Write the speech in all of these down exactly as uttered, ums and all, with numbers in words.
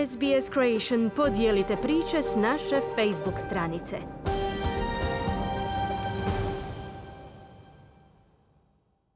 S B S Creation podijelite priče s naše Facebook stranice.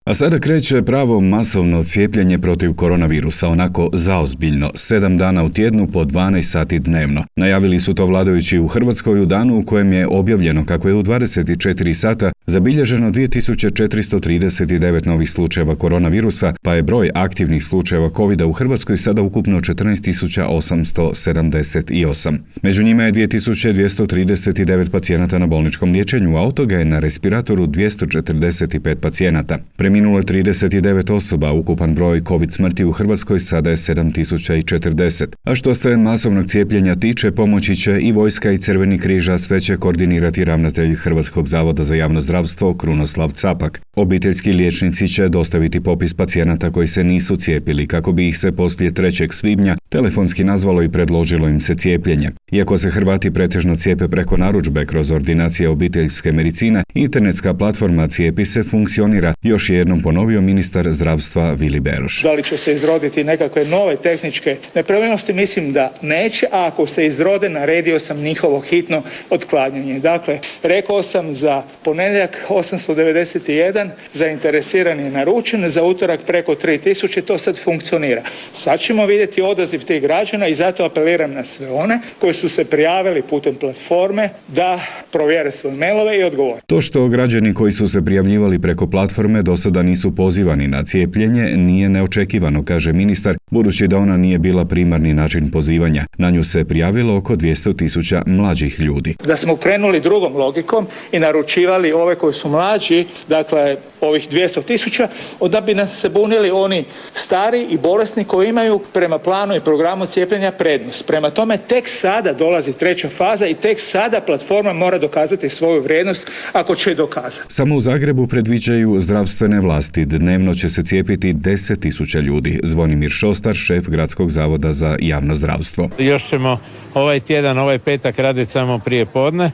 A sada kreće pravo masovno cijepljenje protiv koronavirusa, onako zaozbiljno, sedam dana u tjednu po dvanaest sati dnevno. Najavili su to vladajući u Hrvatskoj u danu u kojem je objavljeno kako je u dvadeset četiri sata zabilježeno dvije tisuće četiristo trideset devet novih slučajeva koronavirusa, pa je broj aktivnih slučajeva kovida u Hrvatskoj sada ukupno četrnaest tisuća osamsto sedamdeset osam. Među njima je dvije tisuće dvjesto trideset devet pacijenata na bolničkom liječenju, a od toga je na respiratoru dvjesto četrdeset pet pacijenata. Preminulo je trideset devet osoba, ukupan broj covid smrti u Hrvatskoj sada je sedam tisuća četrdeset. A što se masovnog cijepljenja tiče, pomoći će i vojska i Crveni križ, a sve će koordinirati ravnatelj Hrvatskog zavoda za javno zdravstvo Krunoslav Capak. Obiteljski liječnici će dostaviti popis pacijenata koji se nisu cijepili kako bi ih se poslije trećeg svibnja telefonski nazvalo i predložilo im se cijepljenje. Iako se Hrvati pretežno cijepe preko narudžbe kroz ordinacije obiteljske medicine, internetska platforma Cijepi se funkcionira, još je jednom ponovio ministar zdravstva Vili Beroš. Da li će se izroditi nekakve nove tehničke nepravilnosti? Mislim da neće, a ako se izrode, naredio sam njihovo hitno otklanjanje. Dakle, rekao sam za ponedjeljak osamsto devedeset jedan, zainteresiran je naručen, za utorak preko tri tisuće, to sad funkcionira. Sad ćemo vidjeti odaziv tih građana i zato apeliram na sve one koji su se prijavili putem platforme da provjere svoje mailove i odgovore. To što građani koji su se prijavljivali preko platforme do sada nisu pozivani na cijepljenje nije neočekivano, kaže ministar, budući da ona nije bila primarni način pozivanja. Na nju se prijavilo oko dvjesto tisuća mlađih ljudi. Da smo krenuli drugom logikom i naručivali ove koji su mlađi, dakle ovih dvjesto tisuća, onda bi nas se bunili oni stari i bolesni koji imaju prema planu i programu cijepljenja prednost. Prema tome, tek sada dolazi treća faza i tek sada platforma mora dokazati svoju vrijednost ako će je dokazati. Samo u Zagrebu predviđaju zdravstvene vlasti. Dnevno će se cijepiti deset tisuća ljudi. Zvonimir Šostar, šef Gradskog zavoda za javno zdravstvo. Još ćemo ovaj tjedan, ovaj petak raditi samo prije podne,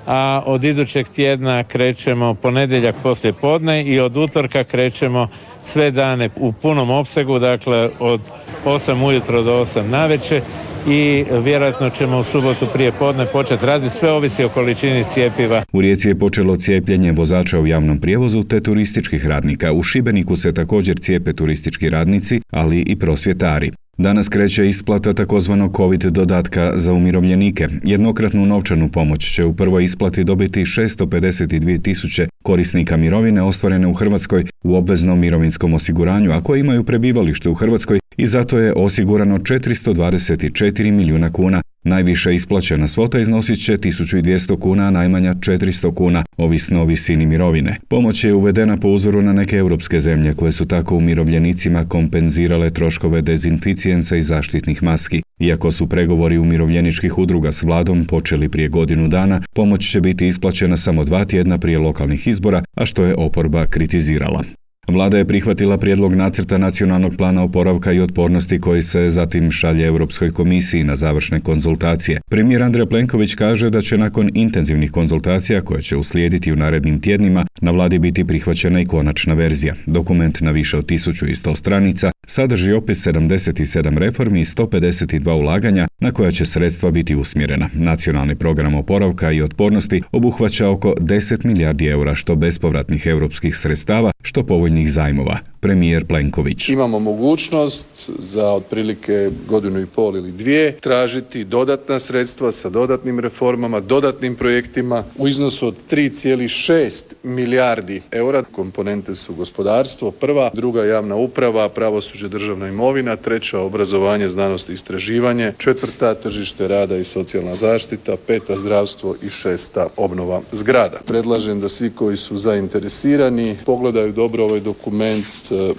a od idućeg tjedna krećemo ponedjeljak poslije podne i od utorka krećemo sve dane u punom opsegu, dakle od osam ujutro do osam navečer i vjerojatno ćemo u subotu prije podne početi raditi, sve ovisi o količini cjepiva. U Rijeci je počelo cijepljenje vozača u javnom prijevozu te turističkih radnika. U Šibeniku se također cijepe turistički radnici, ali i prosvjetari. Danas kreće isplata takozvanog covid dodatka za umirovljenike. Jednokratnu novčanu pomoć će u prvoj isplati dobiti šesto pedeset dvije tisuće korisnika mirovine ostvarene u Hrvatskoj u obveznom mirovinskom osiguranju, a koji imaju prebivalište u Hrvatskoj, i zato je osigurano četiristo dvadeset četiri milijuna kuna. Najviša isplaćena svota iznosit će tisuću dvjesto kuna, a najmanja četiristo kuna, ovisno o visini mirovine. Pomoć je uvedena po uzoru na neke europske zemlje koje su tako umirovljenicima kompenzirale troškove dezinficijensa i zaštitnih maski. Iako su pregovori umirovljeničkih udruga s vladom počeli prije godinu dana, pomoć će biti isplaćena samo dva tjedna prije lokalnih izbora, a što je oporba kritizirala. Vlada je prihvatila prijedlog nacrta nacionalnog plana oporavka i otpornosti koji se zatim šalje Europskoj komisiji na završne konzultacije. Premijer Andrej Plenković kaže da će nakon intenzivnih konzultacija koje će uslijediti u narednim tjednima na vladi biti prihvaćena i konačna verzija. Dokument na više od tisuću sto stranica sadrži opis sedamdeset sedam reformi i sto pedeset dva ulaganja na koja će sredstva biti usmjerena. Nacionalni program oporavka i otpornosti obuhvaća oko deset milijardi eura, što bespovratnih europskih sredstava, što povoljnih zajmova. Premijer Plenković. Imamo mogućnost za otprilike godinu i pol ili dvije tražiti dodatna sredstva sa dodatnim reformama, dodatnim projektima u iznosu od tri zarez šest milijardi eura. Komponente su gospodarstvo, prva, druga javna uprava, pravosuđe, državna imovina, treća obrazovanje, znanost i istraživanje, četvrta tržište rada i socijalna zaštita, peta zdravstvo i šesta obnova zgrada. Predlažem da svi koji su zainteresirani pogledaju dobro ovaj dokument,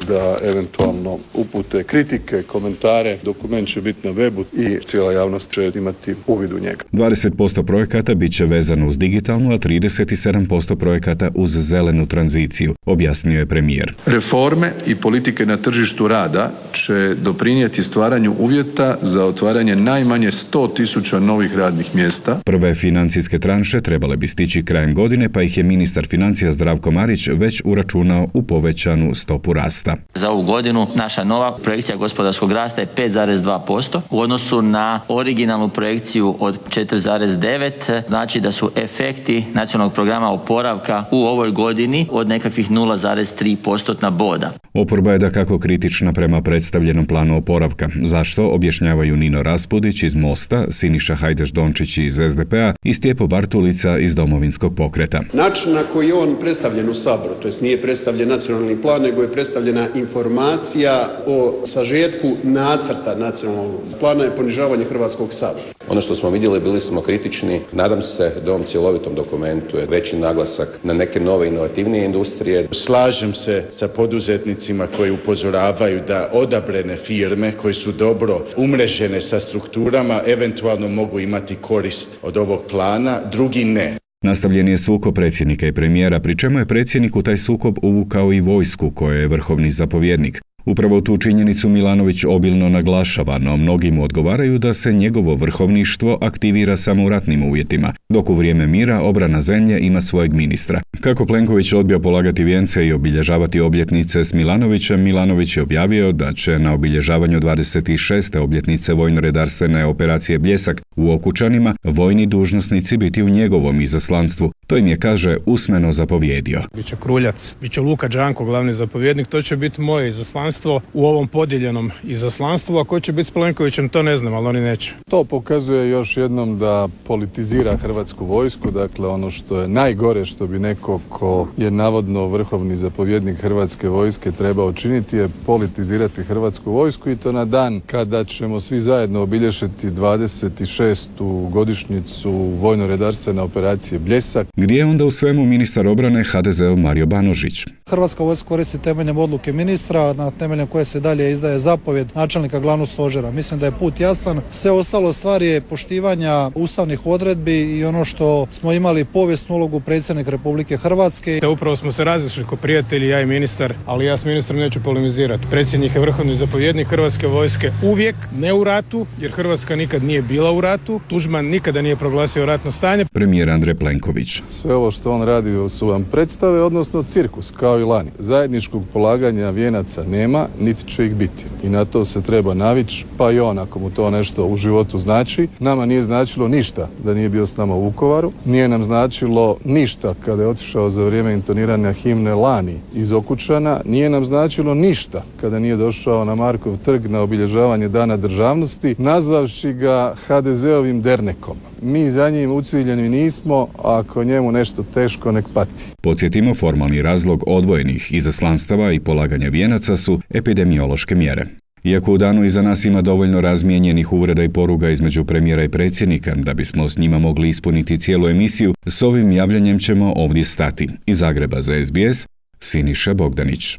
da eventualno upute kritike, komentare. Dokument će biti na webu i cijela javnost će imati uvid u njega. dvadeset posto projekata bit će vezano uz digitalnu, a trideset sedam posto projekata uz zelenu tranziciju, objasnio je premijer. Reforme i politike na tržištu rada će doprinijeti stvaranju uvjeta za otvaranje najmanje sto tisuća novih radnih mjesta. Prve financijske tranše trebale bi stići krajem godine, pa ih je ministar financija Zdravko Marić već uračunao u povećanu stopu rasta. rasta. Za ovu godinu naša nova projekcija gospodarskog rasta je pet zarez dva posto u odnosu na originalnu projekciju od četiri zarez devet, znači da su efekti nacionalnog programa oporavka u ovoj godini od nekakvih nula zarez tri postotna boda. Oporba je dakako kritična prema predstavljenom planu oporavka. Zašto, objašnjavaju Nino Raspudić iz Mosta, Siniša Hajdaš-Dončić iz es de pe a i Stjepo Bartulica iz Domovinskog pokreta. Način na koji je on predstavljen u Saboru, to jest nije predstavljen nacionalni plan, nego je predstavljena informacija o sažetku nacrta nacionalnog plana je ponižavanje Hrvatskog sabora. Ono što smo vidjeli, bili smo kritični. Nadam se da ovom cjelovitom dokumentu je veći naglasak na neke nove inovativnije industrije. Slažem se sa poduzetnicima koji upozoravaju da odabrane firme koje su dobro umrežene sa strukturama eventualno mogu imati korist od ovog plana, drugi ne. Nastavljen je sukob predsjednika i premijera, pri čemu je predsjednik u taj sukob uvukao i vojsku, koja je vrhovni zapovjednik. Upravo tu činjenicu Milanović obilno naglašava, no mnogi mu odgovaraju da se njegovo vrhovništvo aktivira samo u ratnim uvjetima, dok u vrijeme mira obrana zemlje ima svojeg ministra. Kako Plenković odbio polagati vijence i obilježavati obljetnice s Milanovićem, Milanović je objavio da će na obilježavanju dvadeset šeste obljetnice vojno-redarstvene operacije Bljesak u Okučanima vojni dužnosnici biti u njegovom izaslanstvu. To im je, kaže, usmeno zapovjedio. Biće Kruljac, biće Luka Đanko, glavni zapovjednik, to će biti moje izaslanstvo u ovom podijeljenom izaslanstvu, a ko će biti s Plenkovićem, to ne znam, ali oni neće. To pokazuje još jednom da politizira Hrvatsku vojsku, dakle ono što je najgore što bi neko ko je navodno vrhovni zapovjednik Hrvatske vojske trebao činiti je politizirati Hrvatsku vojsku, i to na dan kada ćemo svi zajedno obilježiti dvadeset šestu godišnjicu vojno-redarstvene operacije Bljesak. Gdje je onda u svemu ministar obrane ha de zeov Mario Banožić? Hrvatska vojska koristi temeljem odluke ministra, na temeljem koje se dalje izdaje zapovjed načelnika glavnog stožera. Mislim da je put jasan. Sve ostalo stvari je poštivanja ustavnih odredbi i ono što smo imali povijesnu ulogu predsjednik Republike Hrvatske. Te upravo smo se razišli ko prijatelji, ja i ministar, ali ja s ministrom neću polemizirati. Predsjednik je vrhovni zapovjednik Hrvatske vojske uvijek, ne u ratu, jer Hrvatska nikad nije bila u ratu. Tuđman nikada nije proglasio ratno stanje. Premijer Andrej Plenković. Sve ovo što on radi su vam predstave, odnosno cirkus, kao i lani. Zajedničkog polaganja vijenaca nema, niti će ih biti. I na to se treba navići, pa i on ako mu to nešto u životu znači. Nama nije značilo ništa da nije bio s nama u Vukovaru. Nije nam značilo ništa kada je otišao za vrijeme intoniranja himne lani iz Okučana. Nije nam značilo ništa kada nije došao na Markov trg na obilježavanje Dana državnosti, nazvavši ga ha de zeovim dernekom. Mi za njim uciljeni nismo, a ako njemu nešto teško, nek pati. Podsjetimo, formalni razlog odvojenih izaslanstava i polaganja vijenaca su epidemiološke mjere. Iako u danu iza nas ima dovoljno razmijenjenih uvreda i poruga između premijera i predsjednika, da bismo s njima mogli ispuniti cijelu emisiju, s ovim javljanjem ćemo ovdje stati. Iz Zagreba za es be es, Siniša Bogdanić.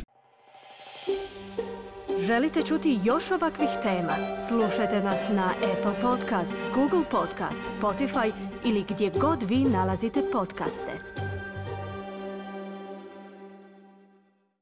Želite čuti još ovakvih tema? Slušajte nas na Apple Podcast, Google Podcast, Spotify ili gdje god vi nalazite podcaste.